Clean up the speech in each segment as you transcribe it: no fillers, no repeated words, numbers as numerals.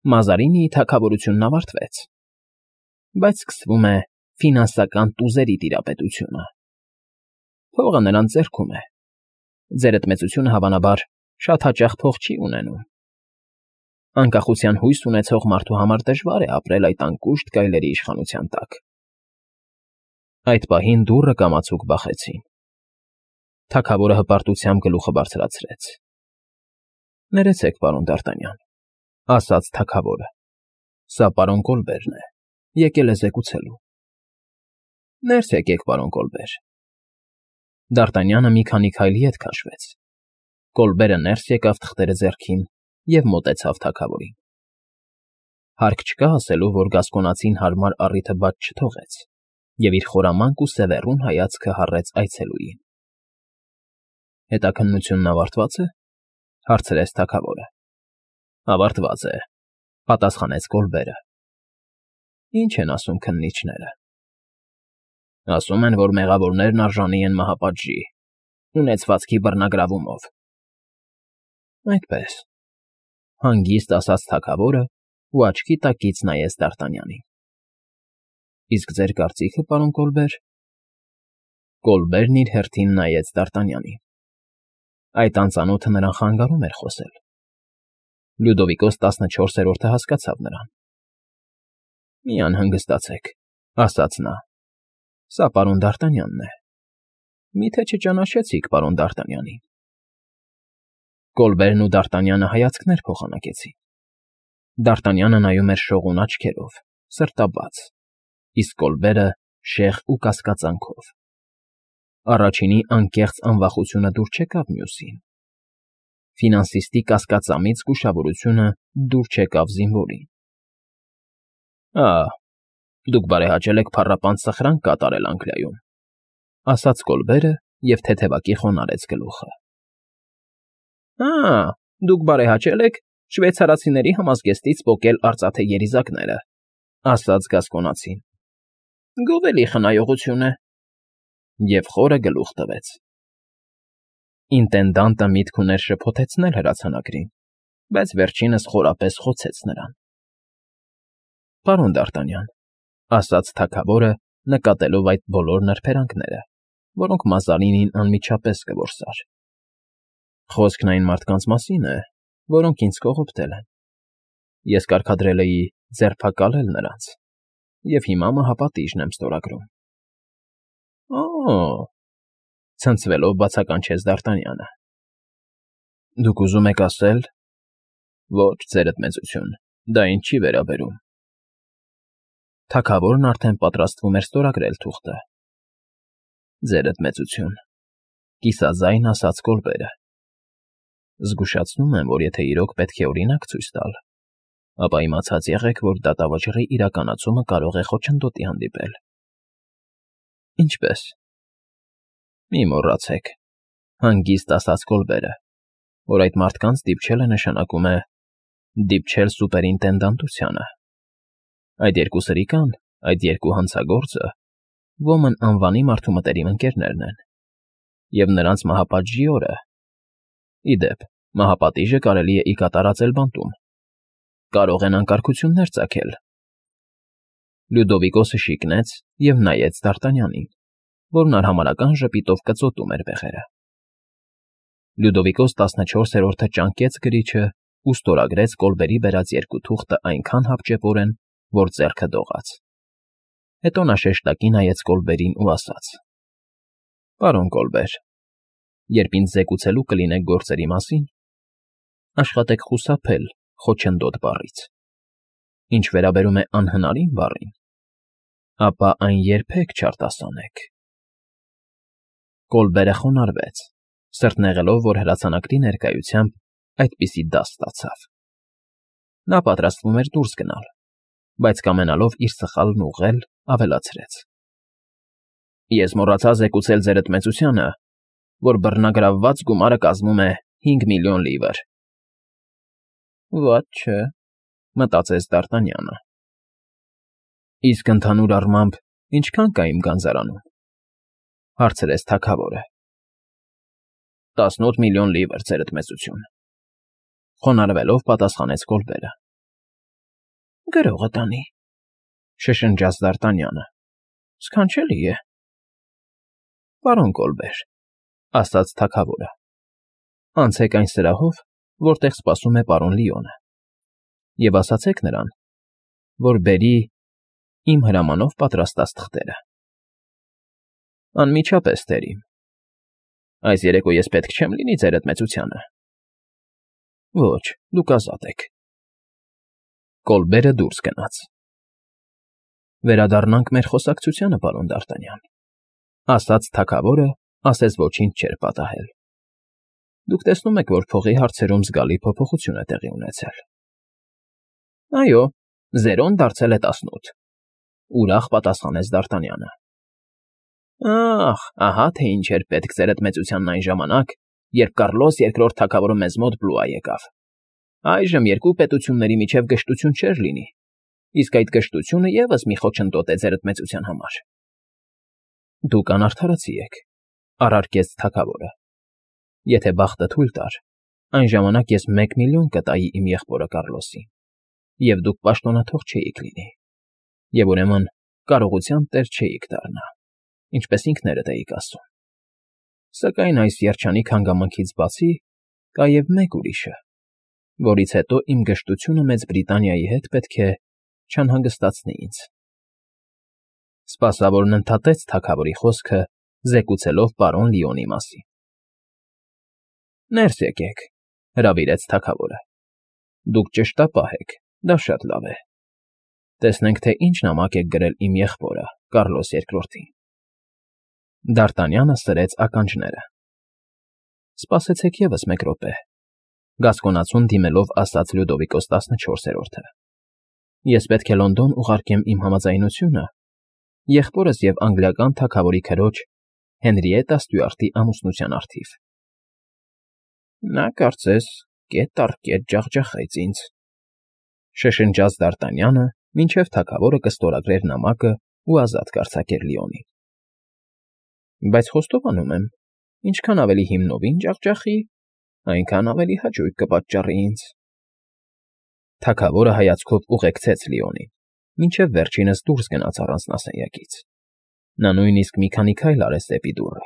Մազարինիի թագավորությունն ավարտվեց, բայց սկսվում է ֆինանսական տուզերի տիրապետությունը։ Փողը նրանց ձեռքում է։ Ձերդ մեծությունը, հավանաբար, շատ հաճախ փող չի ունենում։ Անկախության հույս ունեցող մարդու համար դժվար է ապրել այդ անկուշտ գայլերի իշխանության տակ։ Այդ պահին դուռը կամացուկ բախեցին։ Թագավորը հպարտությամբ գլուխը բարձրացրեց։ Ներեցեք, պարոն Դ'Արտանյան, ասաց թագավորը։ Սա պարոն Կոլբերն է, եկել է զեկուցելու։ Ներս եկեք, պարոն Կոլբեր։ Դ'Արտանյանը մի քանի քայլ ետ քաշվեց։ Կոլբերը ներս եկավ թղթերը ձեռքին և մոտեցավ թագավորին։ Հարկ չկա ասելու, որ գասկոնացին հարմար առիթը բաց չթողեց և իր խորամանկ ու սևեռուն հայացքը հառեց այցելուին։ Հետաքննությունն ավարտվա՞ծ է,֊ հարցրեց թագավորը։ Ավարտված է,֊ պատասխանեց Կոլբերը։ Ինչ են ասում քննիչները։ Ասում են, որ մեղավորներն արժանի են մահապատժի, ունեցվածքի բռնագրավումով։ Այդպես,֊ հանգիստ ասաց թագավորը ու աչքի տակից նայեց Դ'Արտանյանին։ Իսկ ձեր կարծիքը, պարոն Կոլբեր։ Կոլբերն իր հերթին նայեց Դ'Արտանյանին։ Այդ անծանոթը նրան խանգարում էր խոսել։ Լյուդովիկոս 14-րդը հասկացավ նրան։ Մի անհանգստացեք,֊ ասաց նա։ Սա պարոն Դ'Արտանյանն է։ Մի՞թե չճանաչեցիք պարոն Դ'Արտանյանին։ Կոլբերն ու Դ'Արտանյանը հայացքներ փոխանակեցին։ Դ'Արտանյանը նայում էր շողուն աչքերով, սրտաբաց, իսկ Կոլբերը շեղ ու կասկածանքով։ Առաջինի անկեղծ անվախությունը դուր չեկավ մյուսին։ Ֆինանսիստի կասկածամիտ զգուշավորությունը դուր չեկավ զինվորին։ Դուք բարեհաճել եք փառապանծ սխրանք կատարել Անգլիայում,֊ ասաց Կոլբերը և թեթևակի խոնարհեց գլուխը։ Դուք բարեհաճել եք շվեյցարացիների համազգեստից պոկել արծաթե երիզակները,֊ ասաց գասկոնացին։ Գովելի խնայողություն է,֊ և խորը գլուխ տվեց։ Ինտենդանտը միտք ուներ շփոթեցնել հրացանակրին, բայց վերջինս խորապես խոցեց նրան։ Պարոն Դ'Արտանյան,֊ ասաց թագավորը, նկատելով այդ բոլոր նրբերանգները, որոնք Մազարինին անմիջապես կորսար։ Խոսքն այն մարդկանց մասին է, որոնք ինձ կողոպտել են։ Ես կարգադրել էի ձերբակալել նրանց և հիմա մահապատիժն եմ ստորագրում։ Ցնցվելով բացականչեց Դ'Արտանյանը։ Դուք ուզում եք ասել… Ոչ, ձերդ մեծություն, դա ինձ չի վերաբերում։ Թագավորն արդեն պատրաստվում էր ստորագրել թուղթը։ Ձերդ մեծություն,֊ կիսաձայն ասաց Կոլբերը։ Զգուշացնում եմ, որ եթե իրոք պետք է օրինակ ցույց տալ, ապա իմացած եղեք, որ դատավճռի իրականացումը կարող է խոչընդոտի հանդիպել։ Ինչպե՞ս։ Մի մոռացեք,֊ հանգիստ ասաց Կոլբերը, որ այդ մարդկանց դիպչելը նշանակում է դիպչել սուպերինտենդանտությանը։ Այդ երկու սրիկան, այդ երկու հանցագործը ոմն անվանի մարդու մտերիմ ընկերներն են, և նրանց մահապատժի օրը… Ի դեպ, մահապատիժը կարելի է ի կատարածել բանտում։ Կարող են անկարգություններ ծագել։ Լյուդովիկոսը շիկնեց և նայեց Դ'Արտանյանին, որն արհամարհական ժպիտով կծոտում էր բեղերը։ Լյուդովիկոս 14-րդը ճանկեց գրիչը ու ստորագրեց Կոլբերի բերած երկու թուղթը այնքան հապճեպորեն, որ ձեռքը դողաց։ Հետո նա շեշտակի նայեց Կոլբերին ու ասաց. Պարոն Կոլբեր, երբ ինձ զեկուցելու կլինեք գործերի մասին, աշխատեք խուսափել խոչընդոտ բառից։ Ինչ վերաբերում է անհնարին բառին, ապա այն երբեք չարտասանեք։ Կոլբերը խոնարհվեց, սրտնեղելով, որ հրացանակրի ներկայությամբ այդպիսի դաս ստացավ։ Նա պատրաստվում էր դուրս գնալ, բայց կամենալով իր սխալն ուղղել, ավելացրեց. Ես մոռացա զեկուցել ձերդ մեծությանը, որ բռնագրավված գումարը կազմում է 5 միլիոն լիվր։ Վատ չէ,֊ մտածեց Դ'Արտանյանը։ Իսկ ընդհանուր առմամբ ինչքան կա իմ գանձարանում,֊ հարցրեց թագավորը։ 18 միլիոն լիվր, ձերդ մեծություն,֊ խոնարհվելով պատասխանեց Կոլբերը։ Գրողը տանի, շշնջաց Դ'Արտանյանը։ Սքանչելի է։ Պարոն Կոլբեր, ասաց թագավորը, անցեք այն սրահով, որտեղ սպասում է պարոն Լիոնը, և ասացեք նրան, որ բերի իմ հրամանով պատրաստած թղթերը։ Անմիջապես, տերիմ։ Այս երեկո ես պետք չեմ լինի ձերդ մեծությանը։ Ոչ, դուք ազատ եք։ Կոլբերը դուրս գնաց։ Վերադառնանք մեր խոսակցությանը, պարոն Դ'Արտանյան, ասաց թագավորը, ասես ոչինչ չէր պատահել։ Դուք տեսնում եք, որ փողի հարցերում զգալի փոփոխություն է տեղի ունեցել։ Այո, 0-ն դարձել է 18, ուրախ պատասխանեց Դ'Արտանյանը։ Ահ, ահա թե ինչ էր պետք ձերդ մեծությանն այն ժամանակ, երբ Կառլոս II թագավորը մեզ մոտ Բլուա եկավ։ Այժմ երկու պետությունների միջև գժտություն չէր լինի, իսկ այդ գժտությունը ևս մի խոչընդոտ է ձերդ մեծության համար։ Դուք անարդարացի եք, առարկեց թագավորը։ Եթե բախտը թույլ տար, այն ժամանակ ես 1 միլիոն կտայի իմ եղբորը Կառլոսին, և դուք պաշտոնաթող չէիք լինի, և ուրեմն կարողության տեր չէիք դառնա, ինչպես ինքներդ էիք ասում։ Սակայն այս երջանիկ հանգամանքից բացի կա և մեկ ուրիշը, որից հետո իմ գժտությունը Մեծ Բրիտանիայի հետ պետք է չանհանգստացնի ինձ։ Սպասավորն ընդհատեց թագավորի խոսքը, զեկուցելով պարոն Լիոնի մասին։ Ներս եկեք, հրավիրեց թագավորը։ Դուք ճշտապահ եք, դա շատ լավ է։ Տեսնենք, թե ինչ նամակ եք գրել իմ եղբորը, Կառլոս II-ին։ Դ'Արտանյանը սրեց ականջները։ Սպասեցեք ևս մեկ րոպե, գասկոնացուն դիմելով ասաց Լյուդովիկոս 14-րդը։ Ես պետք է Լոնդոն ուղարկեմ իմ համաձայնությունը եղբորս և անգլիական թագավորի քրոջ Հենրիետտա Ստյուարտի ամուսնության առթիվ։ Նա կարծես կետ առ կետ ջախջախեց ինձ, շշնջաց Դ'Արտանյանը, մինչև թագավորը կստորագրեր նամակը ու ազատ կարձակեր Լիոնին։ Բայց խոստովանում եմ, ինչքան ավելի հիմնովին ջախջախի, այնքան ավելի հաճույք կպատճառի ինձ։ Թագավորը հայացքով ուղեկցեց Լիոնին, մինչև վերջինս դուրս գնաց առանձնասենյակից։ Նա նույնիսկ մի քանի քայլ արեց դեպի դուռը,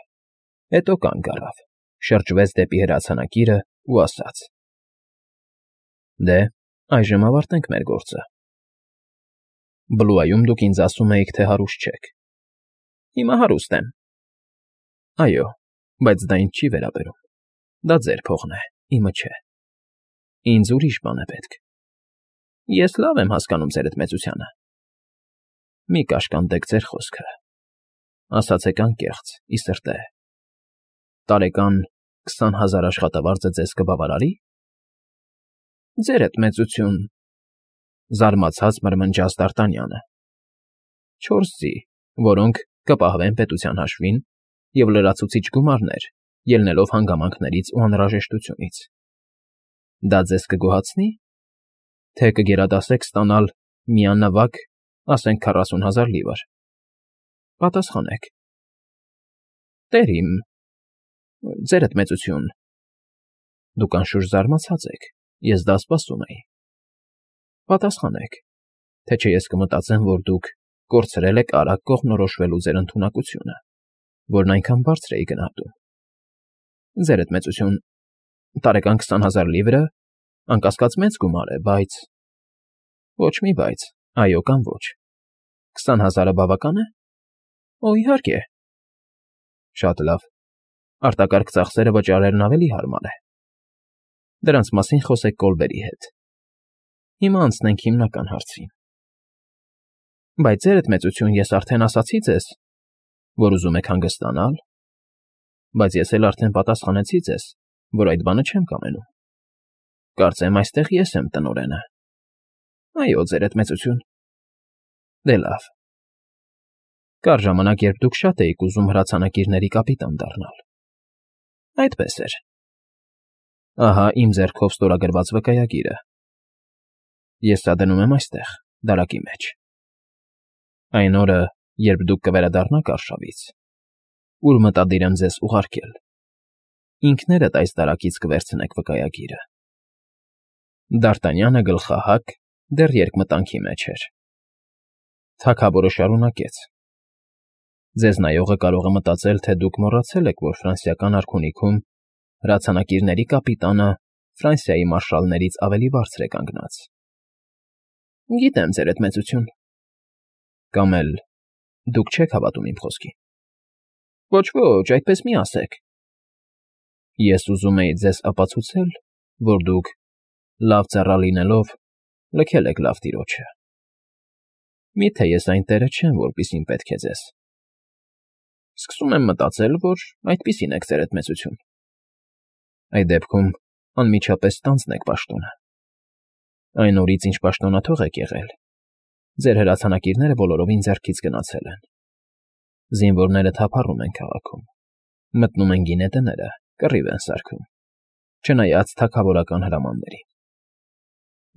հետո կանգ առավ, շրջվեց դեպի հրացանակիրը ու ասաց. Դե, այժմ ավարտենք մեր գործը։ Բլուայում դուք ինձ ասում էիք, թե հարուստ չեք։ Հիմա հարուստ եմ։ Այո, բայց դա ինձ չի վերաբերում։ Դա ձեր փողն է, իմը չէ։ Ինձ ուրիշ բան է պետք։ Ես լավ եմ հասկանում ձերդ մեծությանը։ Մի կաշկանդեք ձեր խոսքը։ Ասացեք անկեղծ, ի սրտե։ Տարեկան 20,000 աշխատավարձը ձեզ կբավարարի։ Ձերդ մեծություն, զարմացած մրմնջաց Դ'Արտանյանը։ 4 ձի, որոնք կպահվեն պետության հաշվին, և լրացուցիչ գումարներ, ելնելով հանգամանքներից ու անհրաժեշտությունից։ Դա ձեզ կգոհացնի, թե կգերադասեք ստանալ միանավակ, ասենք 40,000 լիվր։ Պատասխանեք։ Տերիմ, ձերդ մեծություն։ Դուք անշուշտ զարմացած եք, ես դա սպասում էի։ Պատասխանեք, թե չէ ես կմտածեմ, որ դուք կորցրել եք արագ կողմնորոշվելու ձեր ընդունակությունը, որն այնքան բարձր էի գնահատում։ Ձերդ մեծություն, տարեկան 20,000 լիվրը անկասկած մեծ գումար է, բայց… Ոչ մի բայց, այո կամ ոչ։ 20,000-ը բավական է։ Օ, իհարկե։ Շատ լավ։ Արտակարգ ծախսերը վճարելն ավելի հարմար է։ Դրանց մասին խոսեք Կոլբերի հետ։ Հիմա անցնենք հիմնական հարցին։ Բայց ձերդ մեծություն, ես արդեն ասացի ձեզ, որ ուզում եք հանգստանալ, բայց ես էլ արդեն պատասխանեցի ձեզ, որ այդ բանը չեմ կամենում։ Կարծեմ այստեղ ես եմ տնօրենը։ Այո, ձերդ մեծություն։ Դե լավ։ Կար ժամանակ, երբ դուք շատ էիք ուզում հրացանակիրների կապիտան դառնալ։ Այդպես էր։ Ահա իմ ձեռքով ստորագրված վկայագիրը։ Ես սա դնում եմ այստեղ, դարակի մեջ։ Այն օրը, երբ դուք կվերադառնաք Արշավից, ուր մտադիր եմ ձեզ ուղարկել, ինքներդ այս դարակից կվերցնեք վկայագիրը։ Դ'Արտանյանը գլխահակ, դեռ երկմտանքի մեջ էր։ Թագավորը շարունակեց. Ձեզ նայողը կարող է մտածել, թե դուք մոռացել եք, որ ֆրանսիական արքունիքում հրացանակիրների կապիտանը Ֆրանսիայի մարշալներից ավելի բարձր է կանգնած։ Գիտեմ, ձերդ մեծություն։ Կամ էլ դուք չեք հավատում իմ խոսքին։ Ոչ, այդպես մի ասեք։ Ես ուզում էի ձեզ ապացուցել, որ դուք, լավ ծառա լինելով, լքել եք լավ տիրոջը։ Միթե ես այն տերը չեմ, որպիսին պետք է ձեզ։ Սկսում եմ մտածել, որ այդպիսին եք ձերդ մեծություն։ Այդ դեպքում անմիջապես ստանձնեք պաշտոնը։ Այն օրից, ինչ պաշտոնաթող եք եղել, ձեր հրացանակիրները բոլորովին ձեռքից գնացել են։ Զինվորները թափառում են քաղաքում, մտնում են գինետները, կռիվ են սարքում, չնայած թագավորական հրամաններին։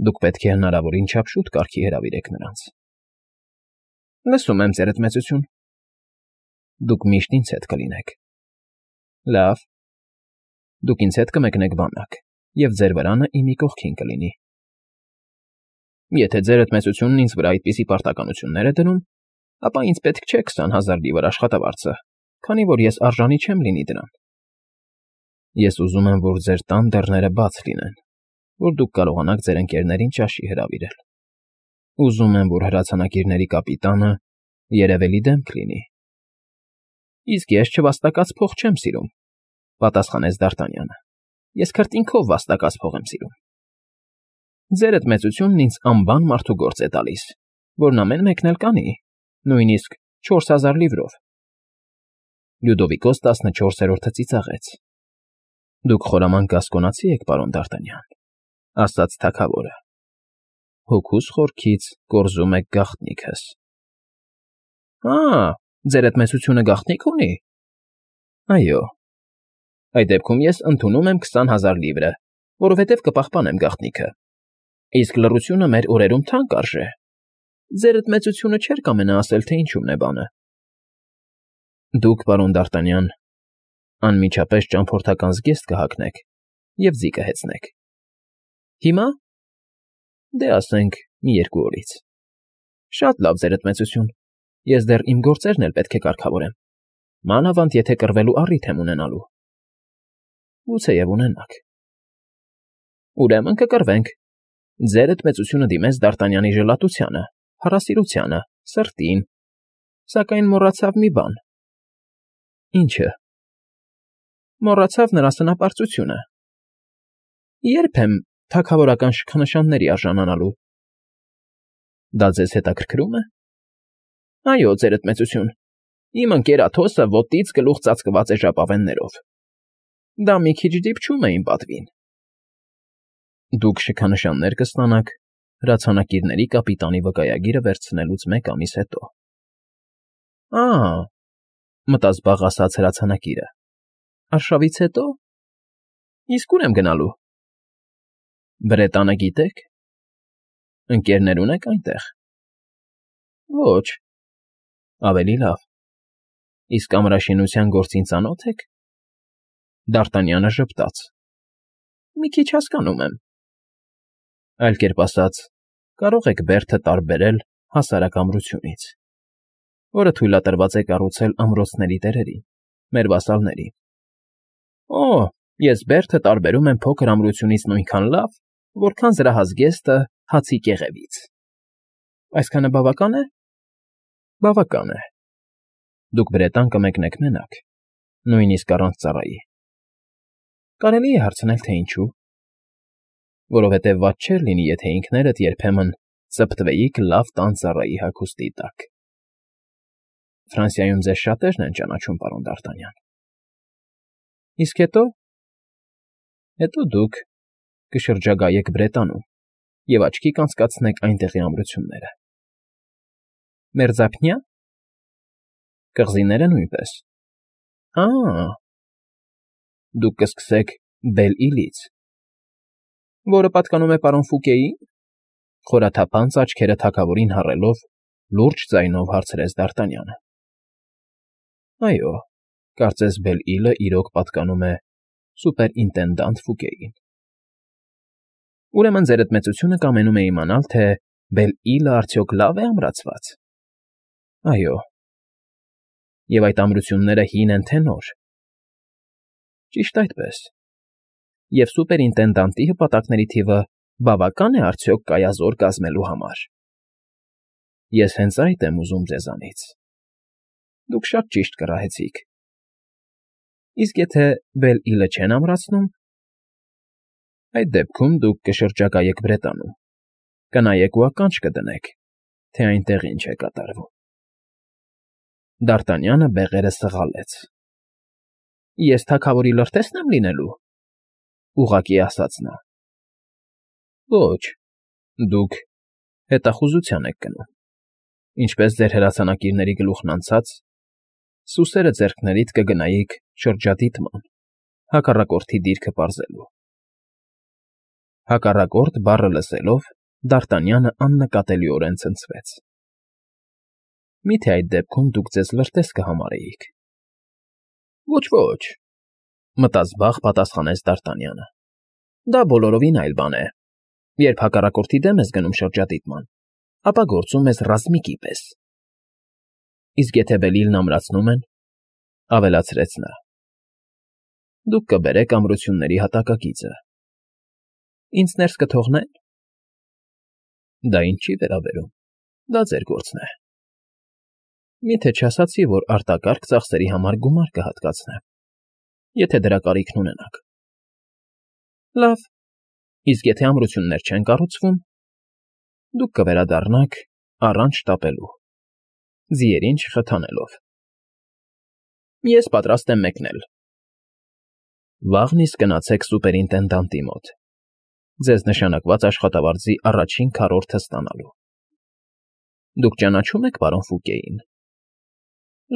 Դուք պետք է հնարավորին չափ շուտ կարգի հրավիրեք նրանց։ Լսում եմ, ձերդ մեծություն։ Դուք միշտ ինձ հետ կլինեք։ Լավ։ Դուք ինձ հետ կմեկնեք բանակ, և ձեր վրանը իմի կողքին կլինի։ Եթե ձերդ մեծությունն ինձ վրա այդպիսի պարտականություններ է դնում, ապա ինձ պետք չէ 20,000 լիվր աշխատավարձը, քանի որ ես արժանի չեմ լինի դրան։ Ես ուզում եմ, որ ձեր տան դռները բաց լինեն, որ դուք կարողանաք ձեր ընկերներին ճաշի հրավիրել։ Ուզում եմ, որ հրացանակիրների կապիտանը երևելի դեմք լինի։ Իսկ ես չվաստակած փող չեմ սիրում, պատասխանեց Դ'Արտանյանը։ Ես քրտինքով վաստակած փող եմ սիրում։ Ձերդ մեծությունն ինձ անբան մարդու գործ է տալիս, որն ամեն մեկն էլ կանի, նույնիսկ 4,000 լիվրով։ Լյուդովիկոս 14-րդը ծիծաղեց։ Դուք խորամանկ գասկոնացի եք, պարոն Դ'Արտանյան, ասաց թագավորը։ Հոգուս խորքից կորզում եք գաղտնիքս։ Ձերդ մեծությունը գաղտնիք ունի։ Այո։ Այդ դեպքում ես ընդունում եմ 20,000 լիվրը, որովհետև կպահպանեմ գաղտնիքը։ Իսկ լռությունը մեր օրերում թանկ արժե։ Ձերդ մեծությունը չէր կամենա ասել, թե ինչումն է բանը։ Դուք, պարոն Դ'Արտանյան, անմիջապես ճամփորդական զգեստ կհագնեք և ձի կհեծնեք։ Հիմա։ Դե ասենք, մի 2 օրից։ Շատ լավ, ձերդ մեծություն։ Ես դեռ իմ գործերն էլ պետք է կարգավորեմ։ Մանավանդ եթե կռվելու առիթ եմ ունենալու։ Գուցեև ունենաք։ Ուրեմն կկռվենք։ Ձերդ մեծությունը դիմեց Դ'Արտանյանի ժլատությանը, հարասիրությանը, սրտին, սակայն մոռացավ մի բան։ Ինչը։ Մոռացավ նրա սնապարծությունը։ Երբ եմ թագավորական շքանշանների արժանանալու։ Դա ձեզ հետաքրքրում է։ Այո, ձերդ մեծություն։ Իմ ընկեր Աթոսը ոտից գլուխ ծածկված է ժապավեններով։ Դա մի քիչ դիպչում է իմ պատվին։ Դուք շքանշաններ կստանաք հրացանակիրների կապիտանի վկայագիրը վերցնելուց 1 ամիս հետո։ Մտազբաղ ասաց հրացանակիրը։ Արշավից հետո։ Իսկ ուր եմ գնալու։ Բրետանը գիտեք։ Ընկերներ ունեք այնտեղ։ Ոչ։ Ավելի լավ։ Իսկ ամրաշինության գործին ծանոթ եք։ Դ'Արտանյանը ժպտաց։ Մի քիչ հասկանում եմ։ Այլ կերպ ասած, կարող եք բերդը տարբերել հասարակ ամրությունից, որը թույլատրված է կառուցել ամրոցների տերերին, մեր վասալներին։ Ես բերդը տարբերում եմ փոքր ամրությունից նույնքան լավ, որքան զրահազգեստը հացի կեղևից։ Այսքանը բավական է։ Բավական է։ Դուք Բրետան կմեկնեք մենակ, նույնիսկ առանց ծառայի։ Կարելի է հարցնել, թե ինչու։ Որովհետև վատ չէր լինի, եթե ինքներդ երբեմն ծպտվեիք լավ տան ծառայի հագուստի տակ։ Ֆրանսիայում ձեզ շատերն են ճանաչում, պարոն Դ'Արտանյան։ Իսկ հետո։ Հետո դուք կշրջագայեք Բրետանում և աչքի կանցկացնեք այնտեղի ամրությունները։ Մերձափնյա։ Կղզիները նույնպես։ Դուք կսկսեք Բել֊Իլից, որը պատկանում է պարոն Ֆուկեին։ Խորաթափանց աչքերը թագավորին հառելով, լուրջ ձայնով հարցրեց Դ'Արտանյանը։ Այո, կարծես Բել֊Իլը իրոք պատկանում է սուպերինտենդանտ Ֆուկեին։ Ուրեմն ձերդ մեծությունը կամենում է իմանալ, թե Բել֊Իլը արդյոք լավ է ամրացված։ Այո։ Եվ այդ ամրությունները հին են թե նոր։ Ճիշտ այդպես։ Եվ սուպերինտենդանտի հպատակների թիվը բավական է արդյոք կայազոր կազմելու համար։ Ես հենց այդ եմ ուզում ձեզանից։ Դուք շատ ճիշտ կռահեցիք։ Իսկ եթե Բել֊Իլը չեն ամրացնում, այդ դեպքում դուք կշրջագայեք Բրետանում, կնայեք ու ականջ կդնեք, թե այնտեղ ինչ է կատարվում։ Դ'Արտանյանը բեղերը սղալեց։ Ես թագավորի լրտեսն եմ լինելու, ուղղակի ասաց նա։ Ոչ, դուք հետախուզության եք գնում, ինչպես ձեր հրացանակիրների գլուխն անցած, սուսերը ձեռքներիդ կգնայիք շրջադիտման, հակառակորդի դիրքը պարզելու։ Հակառակորդ բառը լսելով Դ'Արտանյանը աննկատելիորեն ցնցվեց։ Միթե այդ դեպքում դուք ձեզ լրտես կհամարեիք։ Ոչ, մտազբաղ պատասխանեց Դ'Արտանյանը։ Դա բոլորովին այլ բան է։ Երբ հակառակորդի դեմ ես գնում շրջադիտման, ապա գործում ես ռազմիկի պես։ Իսկ եթե Բել-Իլն ամրացնում են, ավելացրեց նա, դուք կբերեք ամրությունների հատակագիծը։ Ինձ ներս կթողնե՞ն։ Դա ինձ չի վերաբերում, դա ձեր գործն է։ Միթե չասացի, որ արտակարգ ծախսերի համար գումար կհատկացնեմ, եթե դրա կարիքն ունենաք։ Լավ, իսկ եթե ամրություններ չեն կառուցվում, դուք կվերադառնաք առանց շտապելու, ձիերին չխթանելով։ Ես պատրաստ եմ մեկնել։ Վաղն իսկ գնացեք սուպերինտենդանտի մոտ, ձեզ նշանակված աշխատավարձի առաջին քառորդը ստանալու։ Դուք ճանաչում եք պարոն Ֆուկեին։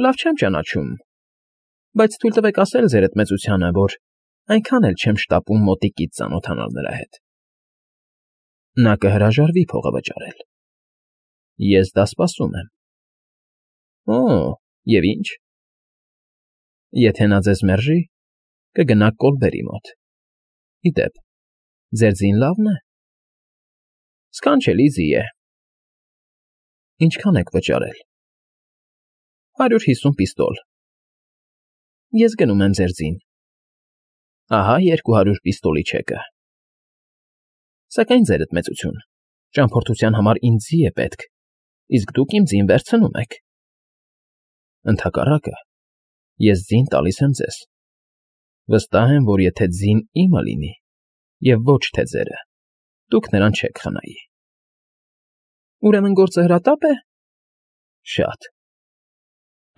Լավ չեմ ճանաչում, բայց թույլ տվեք ասել ձերդ մեծությանը, որ այնքան էլ չեմ շտապում մոտիկից ծանոթանալ նրա հետ։ Նա կհրաժարվի փողը վճարել։ Ես դա սպասում եմ։ Օ, և ինչ։ Եթե նա ձեզ մերժի, կգնաք Կոլբերի մոտ։ Ի դեպ, ձեր ձին լավն է։ Սքանչելի ձի է։ Ինչքան եք վճարել։ 150 պիստոլ։ Ես գնում եմ ձեր ձին։ Ահա 200 պիստոլի չեկը։ Սակայն ձերդ մեծություն, ճամփորդության համար ինձ ձի է պետք, իսկ դուք իմ ձին վերցնում եք։ Ընդհակառակը, ես ձին տալիս եմ ձեզ։ Վստահ եմ, որ եթե ձին իմը լինի, և ոչ թե ձերը, դուք նրան չեք խնայի։ Ուրեմն գործը հրատապ է։ Շատ։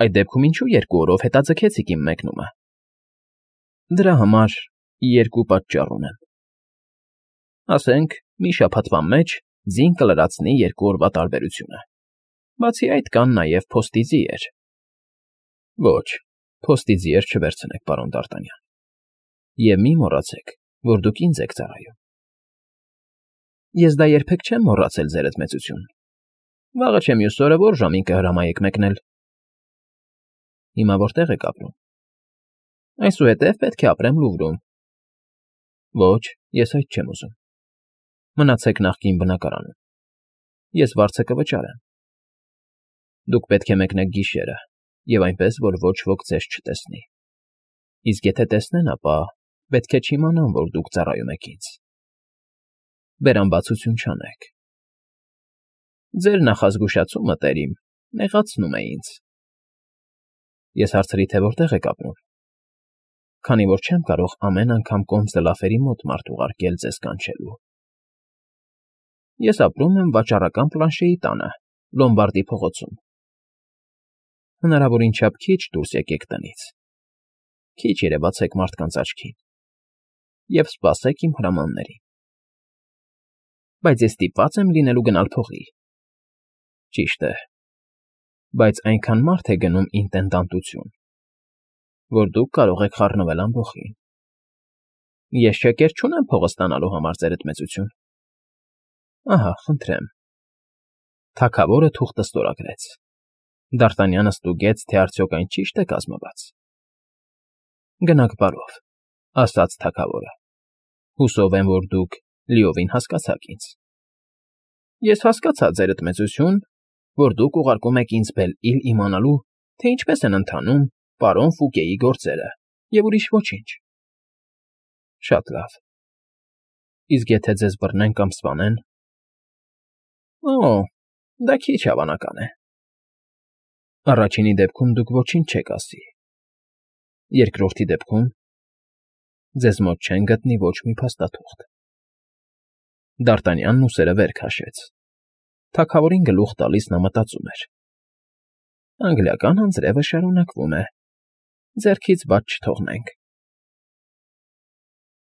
Այդ դեպքում ինչու 2 օրով հետաձգեցիք իմ մեկնումը։ Դրա համար 2 պատճառ ունեմ։ Ասենք, մի շաբաթվա մեջ ձին կլրացնի 2 օրվա տարբերությունը։ Բացի այդ կան նաև փոստի ձիեր։ Ոչ, փոստի ձիեր չվերցնեք, պարոն Դ'Արտանյան։ Եվ մի մոռացեք, որ դուք ինձ եք ծառայում։ Ես դա երբեք չեմ մոռացել, ձերդ մեծություն։ Վաղը չէ մյուս օրը որ ժամին կհրամայեք մեկնել։ Հիմա որտեղ եք ապրում։ Այսուհետև պետք է ապրեմ Լուվրում։ Ոչ, ես այդ չեմ ուզում։ Մնացեք նախկին բնակարանում։ Ես վարձը կվճարեմ։ Դուք պետք է մեկնեք գիշերը, և այնպես, որ ոչ ոք ձեզ չտեսնի։ Իսկ եթե տեսնեն, ապա պետք է չիմանան, որ դուք ծառայում եք ինձ։ Բերամբացություն չանեք։ Ձեր նախազգուշացումը, տերիմ, նեղացնում է ինձ։ Ես հարցրի, թե որտեղ եք ապրում, քանի որ չեմ կարող ամեն անգամ կոնսուլատերի մոտ մարդ ուղարկել ձեզ կանչելու։ Ես ապրում եմ վաճառական Պլանշեի տանը, Լոմբարդի փողոցում։ Հնարավորին չափ քիչ դուրս եկեք տնից, քիչ երևացեք մարդկանց աչքին և սպասեք իմ հրամաններին։ Բայց ես ստիպված եմ լինելու գնալ փողի։ Ճիշտ է, բայց այնքան մարդ է գնում ինտենդանտություն, որ դուք կարող եք խառնվել ամբոխին։ Ես շեկեր չունեմ փողը ստանալու համար, ձերդ մեծություն։ Ահա, խնդրեմ։ Թագավորը թուղթը ստորագրեց։ Դ'Արտանյանը ստուգեց, թե արդյոք այն ճիշտ է կազմված։ Գնաք բարով, ասաց թագավորը։ Հուսով եմ, որ դուք Լիովին հասկացաք ինձ։ Ես հասկացա, ձերդ մեծություն, որ դուք ուղարկում եք ինձ Բել֊Իլ իմանալու, թե ինչպես են ընթանում պարոն Ֆուկեի գործերը և ուրիշ ոչինչ։ Շատ լավ։ Իսկ եթե ձեզ բռնեն կամ սպանեն։ Օ, դա քիչ հավանական է։ Առաջինի դեպքում դուք ոչինչ չեք ասի։ Երկրորդի դեպքում ձեզ մոտ չեն գտնի ոչ մի փաստաթուղթ։ Դ'Արտանյանն ուսերը վեր քաշեց։ Թագավորին գլուխ տալիս նա մտածում էր. «Անգլիական անձրևը շարունակվում է, ձեռքից բաց չթողնենք»։